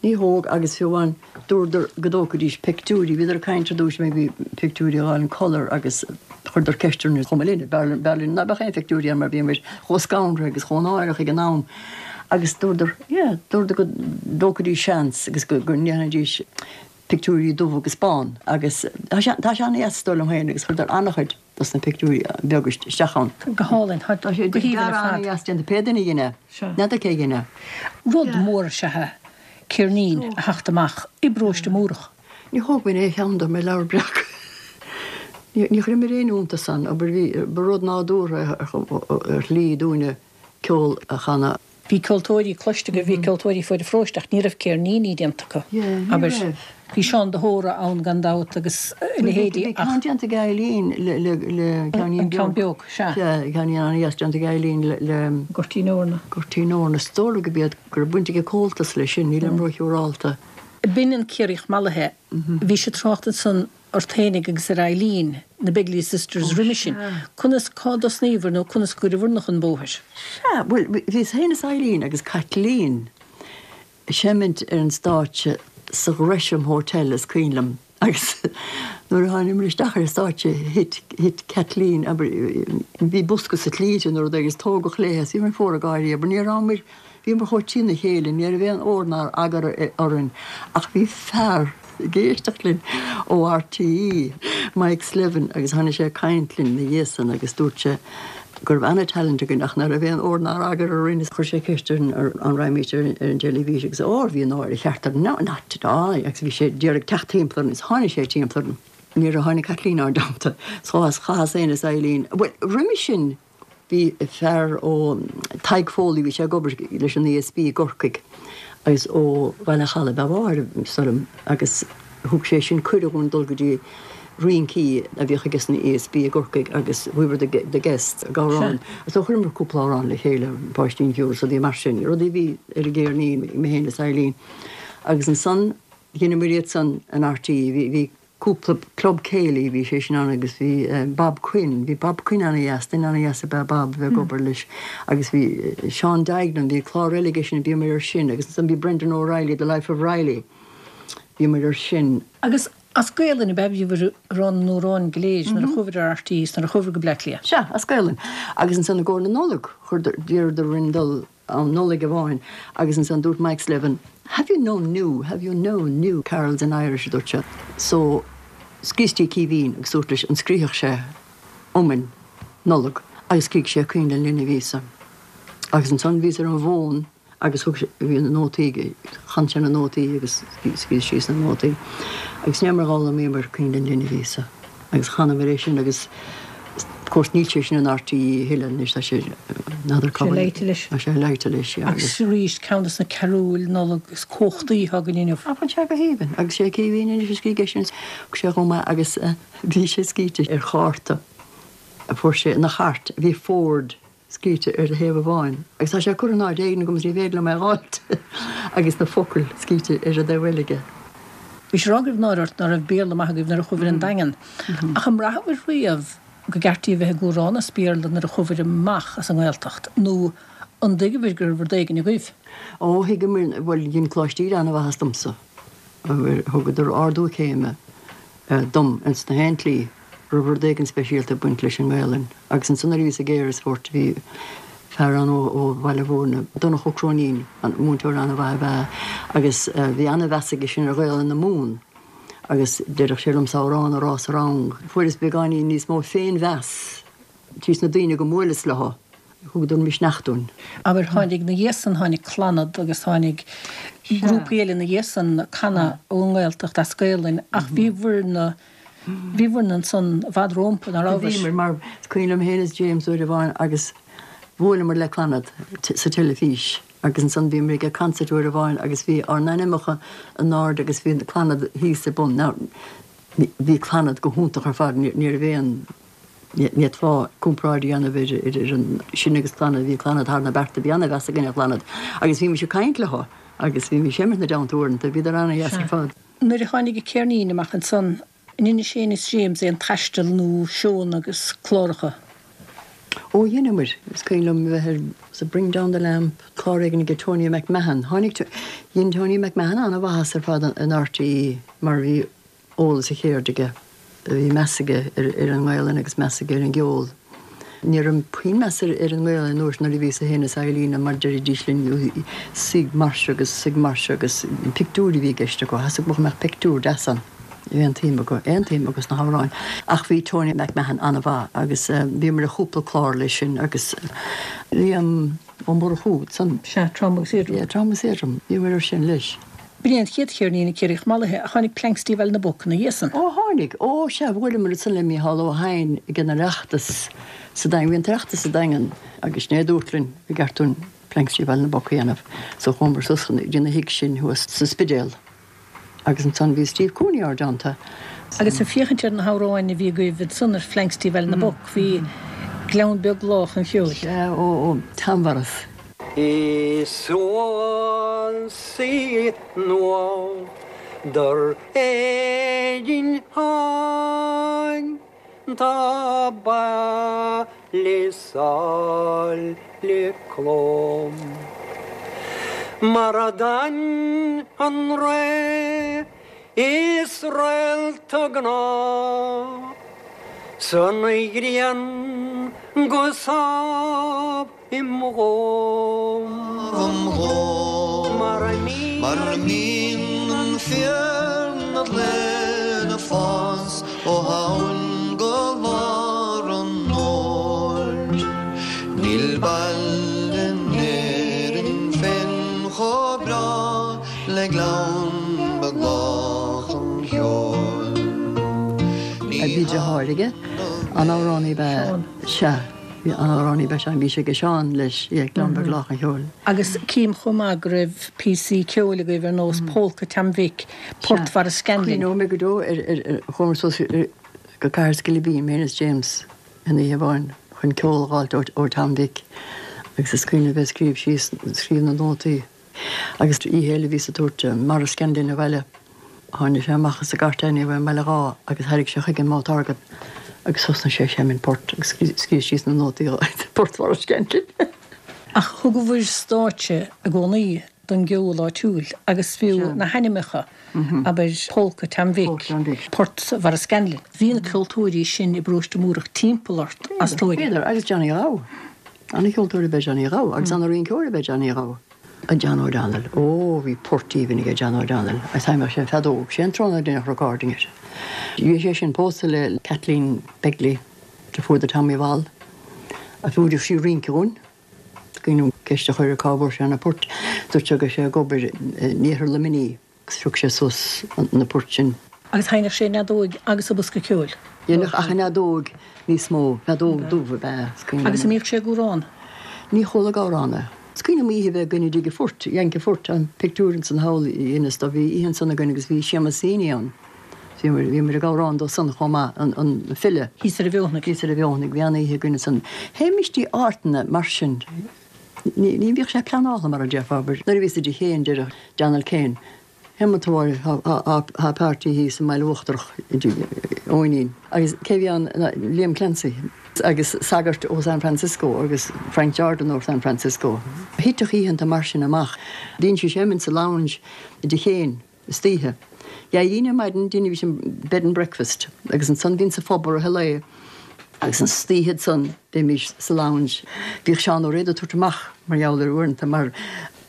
Ní thóg agus fiú amháin dúradar go dtógfaidís pictiúirí, bhíodar ag caint ar dtúis maybe pictiúirí a fháil in colour agus chuireadar ceist orainn chomh maith linn, b'fhearr linn ná beadh aon phictiúirí ann mar bhíomar chomh scanraithe agus chomh náireach ag an am agus dúradar yeah dúradar go dtógfaidís seans agus go ndéanfaidís pictiúirí dubh agus bán agus tá sé tá sé an-dheas is dóigh liom féin agus chuireadar an-chuid dos na pictiúirí beaga isteach ann. Go hálainn. Tá Tá sé go haoibhinn ar fad. An-dheas déanta. Pé duine a dhein é. N'fheadar cé a dhein é. Rud mór is ea é ceirnín a theacht amach i bparóiste Múrach. Ní thógfainn aon cheann de mar Leabhar Breac. Ní chuireamar aon iontas ann. Abair bhí, ba rud nádúrtha ar shlí dúinne ceol a chanadh. Bhí ceoltóirí cloiste agaibh, bhí ceoltóirí fuaid an pharóiste ach ní raibh ceirníní déanta acu, abair. Bhí Seán de hÓra ann gan dabht agus a leithéidí ach. Bhí ceann déanta ag Eileen le ceainnín beag. An ceann beag, sea. Sea, ceainnín an-dheas déanta ag Eileen le. Goirtín Eorna. Goirtín Eorna. Is dóigh liom go b'iad, go raibh baint ag Comhaltas leis sin, nílim róshiúrálta. B'in an Ciarraíoch Mallaithe. Bhís ag trácht ansan ort fhéinig agus ar Eileen, na Begley Sisters roimhe sin. Conas, cá dtosnaíobhair nó conas go gcuireabhair-na chun bóthair? Sea, bhuel, bhíos féin is Eileen agus Caitlín ag seimint ar an stáitse sa Ghresham Hotel, is cuimhin liom, agus nuair a thánamair isteach ar an stáitse thit, thit Caitlín, abair, bhí bosca sa tslí aici nó rud éigin agus tógadh léi é, bhíomar ag fuaradh gáirí, abair, ní rabhamar, Bhíomar chomh trína chéile, ní raibh aon ord ná eagar orainn ach bhí fear ag éisteacht linn ó RTÉ, Mike Slevin, agus tháinig sé ag caint linn ina dhiaidh san agus dúirt sé go raibh ana-talent againn ach ná raibh aon ord ná eagar orainn agus chuir sé ceist orainn an raghaimís ar an dteilifís agus óir bhí náire cheart orainn, no, not at all agus bhí sé d'iarraidh teacht timpeall orainn agus tháinig sé timpeall orainn. Níor tháinig Caitlín ár dteannta. So chaitheas féin is Eileen, bhuel, roimhe sin, Bhí fear ó Tadhg Foley, bhí sé ag obair leis an ESB i gCorcaigh agus ó Bhaile an Chalaidh ab ea a mháthair, is dóigh liom, agus thug sé sin cuireadh dhúinn dul go dtí rincí a bhíodh aige san ESB i gCorcaigh agus we were the the guests ag amhrán. So chuireamar cúpla amhrán le chéile, Páistín Chiúin is rudaí mar sin, rudaí a bhí ar an gceirnín, mé féin is Eileen. Agus ansan dheineamar iad san in RTÉ, bhí, bhí cúpla club céilí, bhí sé sin ann agus bhí Bob Quinn, bhí Bob Quinn ana-dheas, duine ana-dheas ab ea Bob a bheith ag obair leis agus bhí Seán Duignan, bhí clár eile aige sin, bhíomar ar sin agus ansan bhí Brendan O'Reilly, The Life of Reilly, bhíomar ar sin. Agus as Gaelainn ab ea a bhíobhair ag rá na n-amhrán go léir nuair a chuabhair ar RTÉ is nuair a chuabhair go Bleá Cliath? Sea, as Gaelainn. Agus ansan i gcomhair na Nollag, chuireadar, d'iarradar orainn dul am Nollaig amháin agus ansan dúirt Mike Slevin, Have you no new, have you no new carols in Irish a dúirt sé. So scríos dtí Caoimhín agus dúirt leis an scríobhadh sé iomainn Nollag agus scrígh sé Coinnle an Linbh Íosa. Agus ansan bhíos ar an bhfón agus thug sé, bhí na nótaí aige, chan sé na nótaí agus scríos síos na nótaí agus ní mar d'fhoghlaimíomar Coinnle an Linbh Íosa. Agus chanamar é sin agus of course níl sé sin in RTÉ a thuilleadh anois, tá sé, n'fheadar cá bhfuil. Sé leite leis. Tá sé leite leis, yeah. Agus arís, ceann de na carúil Nollag is cumhachtaí atá againn inniu. Ah, bhuel sé go haoibhinn. Agus sé Caoimhín anois a scrígh é sin, thug sé chomh maith agus bhí sé scríte ar chárta a fuair sé ina chairt, bhí Ford scríte ar thaobh amháin agus tá sé curtha in áit éigin agam is ní féidir liom é a dh'fháilt agus na focail scríte ar an dtaobh eile aige. Bhís ag rá go raibh náire ort ná raibh Béarla maith agaibh nuair a chuabhair an Daingean. Ach an mbraitheabhair riamh go gceart daoibh bheith ag amhrán as Béarla nuair a chuabhair amach as an nGaeltacht nó an dtuigeabhair go raibh rud éigin agaibh? Ó, thuigeamar, bhuel, dhein Coláiste Íde an-mhaitheas domsa. Thugadar ardú céime dom ins na haon tslí. raibh rud éigin speisialta ag baint leis an nGaelainn. Agus ansan nuair a bhíos i gCarysfort bhí fear ann ó Bhaile Mhúirne, Donncha Ó Cróinín, múinteoir an-mhaith ab ea é agus bhí an-mheas aige sin ar Ghaelainn na Mumhan agus deireadh sé liomsa amhrán a rá sa rang. Fuaireas beagáinín níos mó féinmheas tríos na daoine go mbuaileas leo. Thugadar misneach dúinn. Abair, tháinig 'na dhiaidh san, tháinig Clannad agus tháinig grúpaí eile 'na dhiaidh san ag canadh ón nGaeltacht as Gaelainn ach bhíobhair-na, bhíobhair-na ansan i bhfad rómpa, ná rabhabhair? Bhíomar, mar is cuimhin liom féin is James uair amháin agus. Bhuaileamar le Clannad sa teilifís agus ansan bhíomar ag concert uair amháin agus bhí ár n-ainmneacha in airde agus bhí Clannad thíos ar bun. Now bhí Clannad go hiontach ar fad, ní raibh aon, ní fhéadfá comparáid a dhéanamh idir an sin agus Clannad, bhí Clannad thar na bearta, bhí ana-mheas againn ar Chlannad agus bhímis ag caint leo agus bhímis ag seimint ina dteannta uaireanta, bhíodar ana-dheas ar fad. Nuair a tháinig an ceirnín amach ansan, An ndearna sibh féin is James aon taisteal nó seónna agus cláracha? Ó dheineamair. Is cuimhin liom a bheith ar sa Bring Down the Lamp, clár éigin aige Tony McMahon. Tháinig, dhein Tony McMahon an-mhaitheas ar fad in RTÉ mar bhí eolas a cheirde aige. Bhí meas aige ar an nGaelainn agus meas aige ar an gceol. Ní raibh puinn meas ar an nGaelainn an uair sin nuair a bhíos féin is Eileen mar deiridís linn suigh mar seo agus suigh mar seo agus pictiúir a bhí i gceist acu, theastaigh uathu go mbeadh pictiúr deas ann. Bhí aon tsuim acu, aon tsuim acu sna hamhráin. Ach bhí Tony McMahon an-mhaith agus bhíomar ar chúpla clár leis sin agus Liam Ó Murchú ansan. Sea, Trom agus Éadrom. Yeah, Trom agus Éadrom. Bhíomar ar sin leis. B'in é an chéad cheirnín ag Ciarraíoch Mallaithe ach tháinig Planxty Bhaile na bPoc ina dhiaidh san. Ó tháinig, ó sea, bhuaileamar ansan le Mícheál Ó hEidhin ag an Oireachtas sa Daingean, bhí an tOireachtas sa Daingean agus sin é a dúirt linn go gceart dúinn Planxty Bhaile na bPoc a dhéanamh. So chuamar suas go dtí ina thigh sin thuas sa Spidéal. Agus ansan bhí Steve Cooney ár dteannta. Agus ag féachaint ar na hamhráin a bhí agaibh ansan ar Phlanxty Bhaile na bPoc, bhí Gleann Beag Lách an Cheoil. Sea, ó, ó, Teanmharas. Is uail nua dar Éirinn áin tá baile sáile clom. Mar a d'fhan an ré is réalta gnáth san ghrian go sámh im dhom. Mar a mbíonn an fiorna lena fás ó Shamhain go lár an fhómhair. Níl baile in Éirinn féin chomh breá le Gleann Beag Lách an Cheoil. Bhí deartháir aige, an amhránaí ab ea, sea, bhí an amhránaí ab ea Seán, bhí sé ag Seán leis, yeah, Gleann Beag Lách an Cheoil. Agus cím chomh maith go raibh píosaí ceoil agaibh ar nós Pólca Tom Mhic, Port Bharascanlin. Cuimhneoidh mé go deo ar, ar, ar, chuamar suas go Cathair Scilibín, mé is James, in oíche amháin chun ceol a dh'fháilt ó Tom Mhic agus is cuimhin liom bheith ag scríobh síos, scríobh na nótaí. Agus oíche eile bhíos ag tabhairt Maurice Scanlon abhaile. Tháinig sé amach as an gcairt uaidh i mBaile Dháith agus thairrig sé chuige an mouth organ agus thosnaigh sé ag seimint port agus scríobh síos na nótaí Port Mhaurice Scanlon. Ach thugabhair stáitse i gcónaí don gceol áitiúil agus fiú na hainmneacha, abair Pólca Tom Mhic, Port Mhaurice Scanlon. Bhí na ceoltóirí sin i bparóiste Múrach timpeall ort as dóigh. Bhíodar, agus Johnny Ghabh. Ana-cheoltóir ab ea Johnny Ghabh agus ana-rinceoir ab ea Johnny Ghabh. John O'Donnell, Ó, bhí port aoibhinn aige John O'Donnell agus sheinneadh sé an feadóg, sé an tráthnóna a deineadh recording air. Bhí sé sin pósta le Kathleen Begley, deirfiúr do Tommy Mhol, a mhúineadh sí rince dhúinn. Cuimhin liom ceist a chur air cá bhfuair sé na poirt, dúirt sé go raibh sé ag obair in iarthar Luimnigh. Agus phioc sé suas na poirt sin. Agus sheinneadh sé an fheadóig agus an bosca ceoil. Dheineadh ach an fheadóig níos mó, feadóg dubh ab ea, is cuimhin liom. Agus an mbíodh sé ag amhrán? Ní chuala ag amhrán é. Is cuimhin liom oíche a bheith againn i dtigh an Phoirt, Yank an Phoirt, an pictiúr ansan thall i Inis Dubh, bhí oíche ansan againn agus bhí Séamus Heaney ann. Bhíomar, bhíomar ag amhrán dó san chomh maith, an, an file. Thíos ar an Bhfeothanaigh. Thíos ar an Bhfeothanaigh, bhí an-oíche againn ansan. Théimis dtí áiteanna mar sin. Ní bhíodh sé pleanáilte mar a déarfá, abair. Nuair a bhíos i dtigh Chéin deireadh Donald Kane, Théama tá páirtí thíos i mBaile Uachtarach i dtigh Eoinín. Agus cé bhí ann ná Liam Clancy agus sagart ó San Francisco agus Frank Jordan ó San Francisco. Thiteadh oícheanta mar sin amach. Bhínnse ag seimint sa lounge i dtigh Chéin. istoíche. D'éirínn ar maidin, dheinimís an bed and breakfast agus ansan bhínn sa phub i rith an lae agus an istoíche ansan bheimís sa lounge. Bhíodh Seán Ó Riada ag tabhairt amach mar gheall air uaireanta mar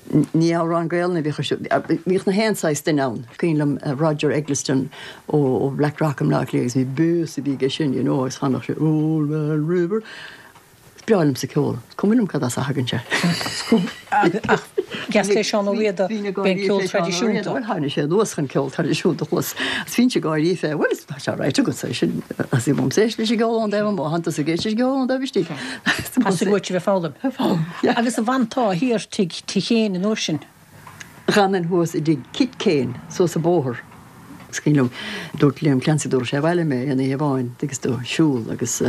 ní amhrán Gaelainne a bhíodh ar siúl, bhíodh na haon saghas duine ann. Cuimhin liom Roger Eggleston ó Blackrock i mBleá Cliath agus bhí bass a bhí aige sin you know agus chanadh sé Old Man River. breá liomsa ceol. Is cuma liom cad as a thagann sé. Ach deas le Seán Ó Riada, b'é an ceol traidisiúnta. Bhuel, tháinig sé anuas chun ceol traidisiúnta a chlos. Is bhínnse ag gáirí fé, bhuel, tá sé ráite agatsa é sin, theastaigh uaimse éisteacht leis an gceol ón dtaobh amuigh, tánn tusa ag éisteacht leis an gceol ón dtaobh istigh. Theastaigh uait a bheith ag foghlaim. Foghlaim, yeah. Agus an bhfantá thiar tigh Tigh Kane an uair sin? D'fhanainn thuas i dtigh Kit Kane, suas an bóthar. Is cuimhin liom, dúirt Liam Clancy, dtabharfadh sé abhaile mé aon oíche amháin agus do siúl agus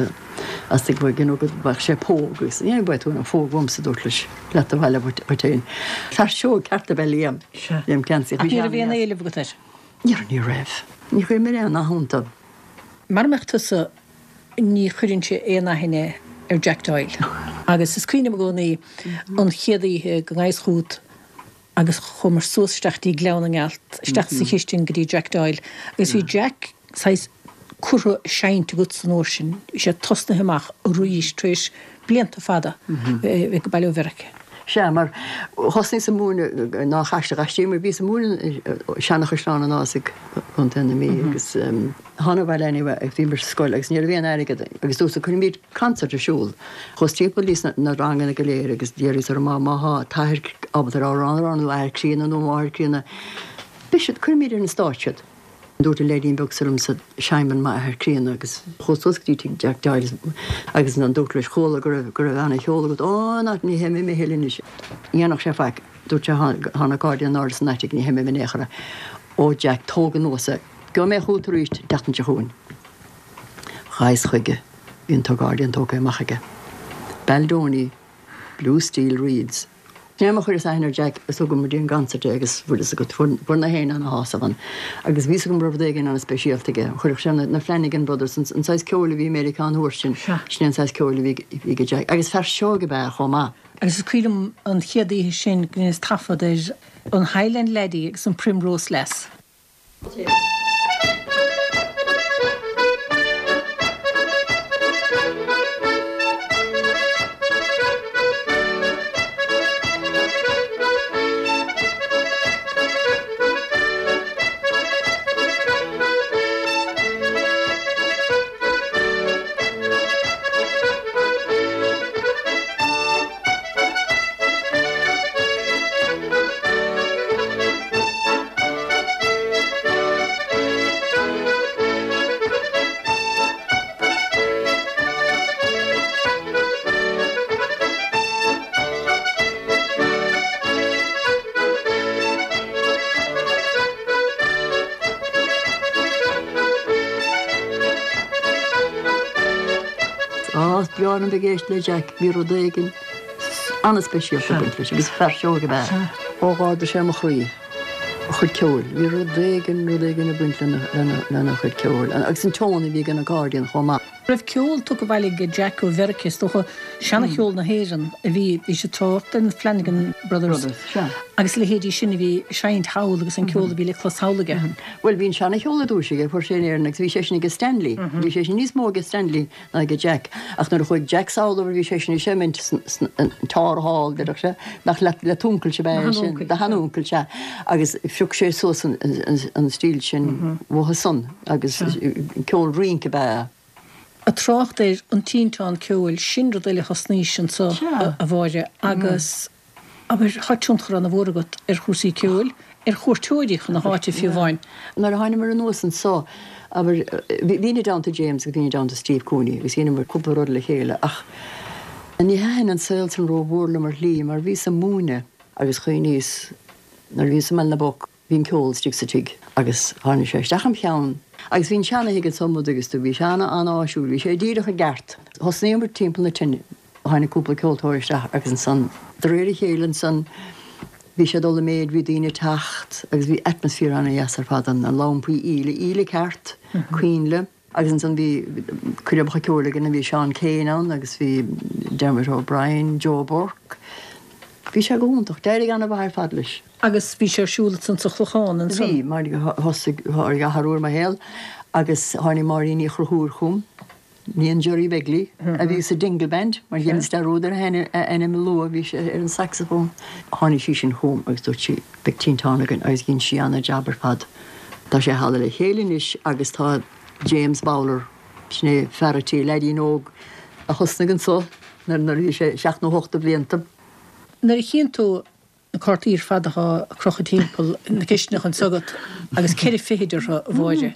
as tigh you know go bhfaigheadh sé póg agus ní bheidh tú in ann phóg uaimse, dúirt leis, leat abhaile dhuit féin. Fear seoigh ceart ab ea Liam, Liam Clancy. Ach ní raibh aon éileamh agat air? Ní raibh, ní raibh. Ní chuir mé aon nath iontu. Mara mbeadh tusa, ní chuirfinnse aon aithne ar Jack Doyle. Agus is cuimhin liom i gcónaí an chéad oíche go ngabhas chugat agus chuamar suas isteach dtí Gleann na nGealt, isteach sa chistin go dtí Jack Doyle agus bhí Jack saghas curtha ag seinnt agatsa an uair sin, bhí sé tosnaithe amach arís tar éis blianta fada bheith ag baile ó Mheiriceá. Sea, mar thosnaíos ag múineadh ná chaiste ghaistí, mar bhíos ag múineadh Seanachaisleán an Ásaigh, Contae na Mí agus thána abhaile anyway agus bhíomar sa scoil agus ní raibh aon airgead agus dúirt cuirfimid concert ar siúl. Chuas timpeall dtí na ranganna go léir agus d'iarraíos orthu má má thá t-athair ábalta ar amhrán a rá nó athair críonna nó máthair críonna beidh siad cuirfimid ar an stáitse iad. Dúirt an leaidín beag seo liomsa Simon m'athair críonna agus chuas suas go dtí tigh Jack Doyle agus ansan dúrt leis chuala go raibh go raibh ana cheol agat ó ná ní sheinnfidh mé a thuilleadh anois. Ní dhéanfadh sé faic. Dúirt sé thá an accordion in airde san attic ní sheinnfidh mé in aon chor é. Ó Jack tóg anuas é. Gheobhaidh mé chugat arís an tseachtain seo chugainn. Ghabhas chuige. Bhí an t-accordion tógtha amach aige. Baldoni Blue Steel Reeds. Sin é mar a chuireas aithne ar Jack is thugamar dtí an gconcert é agus bhfuil fhios agat, fuair na héinne ana-shásamh ann. Agus bhí fhios agam go raibh rud éigin ana-speisialta aige. Chuirfeadh sé na Flanagan Brothers, an saghas ceoil a bhí i Meiriceá an uair sin, sin é an saghas ceoil a bhí ag Jack. Agus fear seoigh ab ea é chomh maith. Agus is cuimhin liom an chéad oíche sin go ndeineas taifead ar an Highland Laddie agus an Primrose Lass. Á, is breá liom bheith ag éisteacht le Jack, bhí rud éigin an-speisialta ag baint leis agus fear seoigh ab ea é. Ó, d'ardaigh sé mo chroí, a chuid ceoil. Bhí rud éigin, rud éigin ag baint lena chuid ceoil agus an tone a bhí ag an accordion chomh maith. Raibh ceol tugtha abhaile ag Jack ó Mheiriceá, is dócha, seana-cheol na hÉireann a bhí, bhí sé ag trácht ar na Flanagan Brothers agus a leithéidí sin a bhí ag seinnt thall agus an ceol a bhí le clos thall aige. Bhuel, bhí an seana-cheol ar dtúis aige, fuair sé in Éirinn agus bhí sé sin ag Stanley, bhí sé sin níos mó ag Stanley ná ag Jack. Ach nuair a chuaigh Jack sall bhí seisean ag seimint san Tower Hall, déarfadh sé, nach le t'uncail ab ea é sin, do sheanuncail, sea. Agus phioc sé suas an stíl sin uathu san agus ceol rince ab ea é. Ag trácht ar an tinteán ceoil, sin rud eile a thosnaís anso, a Mháire, agus. Abair, tá tionchar ana-mhór agat ar chúrsaí ceoil, ar chuairteoirí chun na háite fiú amháin. Nuair a thánamar anuas anso, abair, bhínn i dteannta James agus bhínn i dteannta Steve Cooney agus dheineamar cúpla rud le chéile ach ní thaitin an saol san rómhór liom ar shlí mar bhíos ag múineadh agus chuimhníos nuair a bhíos i mBaile na bPoc, Bhí an ceol istigh sa tigh agus tháinig sé isteach im cheann. Agus bhí an seana-thigh anso amuigh agus do bhí sé ana an-áisiúil, bhí sé díreach i gceart. Thosnaíomar timpeall na tine, tháinig cúpla ceoltóir isteach agus ansan de réir a chéile ansan bhí sé ag dul i méid, bhí daoine ag teacht agus bhí atmosphere ana-dheas ar fad ann, na lampaí íle, íle ceart, coinnle. Agus ansan bhí coirmeacha ceoil againn, bhí Seán Keane ann agus bhí Dermot O'Brien, Joe Burke. Bhí sé go hiontach. D'éirigh ana-mhaith ar fad leis. Agus bhí sé ar siúl ansan sa Chlochán ansan? Bhí, mar thosaigh, tháinig athrú ar mo shaol agus tháinig Máirín Ní Chonchúir chugam, níon Gerry Begley, a bhí sa Dingle Band, mar dheineas dearúd ar a ainm a lua, bhí sé ar an saxophone. Tháinig sí sin chugam agus dúirt sí, beidh tinteán againn agus dhein sí ana-jab ar fad. Tá sé thall le chéile anois agus tá James Bowler, sin é fear a' tí, leaidín óg a thosnaigh anso. nuair a bhí sé seacht nó hocht de bhlianta. Nuair a chíonn tú na cártaí ar fad atá ag crochadh timpeall na cisteanach anso agat agus ceithre fichid orthu, a Mháire.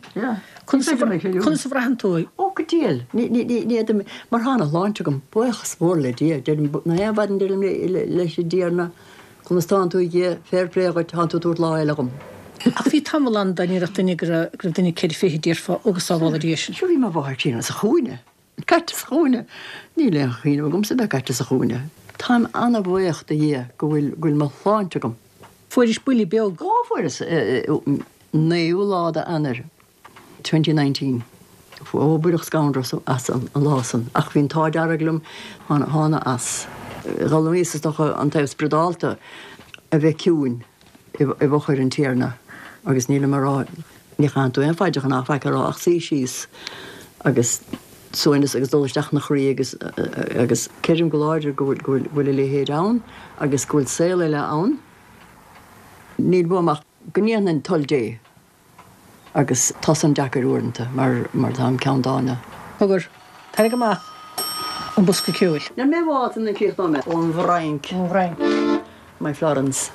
Conas a bhraitheann tú é? Ó, go diail. Ní fhéadaim, mar tá an shláinte agam, buíochas mór le Dia. Deirim, na haon mhaidin deirim leis an dTiarna, conas tánn tú a Dhia, fair play dhuit, tánn tú ag tabhairt lá eile dhom. Ach bhí tamall ann dá ndéarfadh duine go raibh duine ceithre fichid, déarfá, ó go sábhála Dia sinn. Sure bhí mo mháthair críonna sa chúinne. Caite sa chúinne. Níl aon chuimhneamh agamsa a bheith caite sa chúinne. Táim ana-bhuíoch do Dhia go bhfuil, go bhfuil mo shláinte agam. Fuairis buille beag. Ó, fuaireas, naoú lá d'Eanáir, 2019. Ó, baineadh scanradh as an lá san. Ach bhí an t-ádh dearg liom, thána as. D'fhoghlaimíos is dócha an taobh spioradálta a bheith ciúin. i bhfochair an Tiarna, agus nílim ag rá, ní chaitheann tú aon phaidreacha ná faic a rá ach suí síos agus suaimhneas agus dul isteach ina chroí agus agus creidim go láidir go bhfuil go bhfuil go bhfuil a leithéid ann agus go bhfuil saol eile ann. Níl uaim ach go ndéanfainn toil Dé. Agus tá san deacair uaireanta mar mar táim ceanndána. Cogar, tarraing amach an bosca ceoil. Níl mé i bhfad sula gcríochnóidh mé. Ón bhFrainc. Ón bhFrainc. My Florence.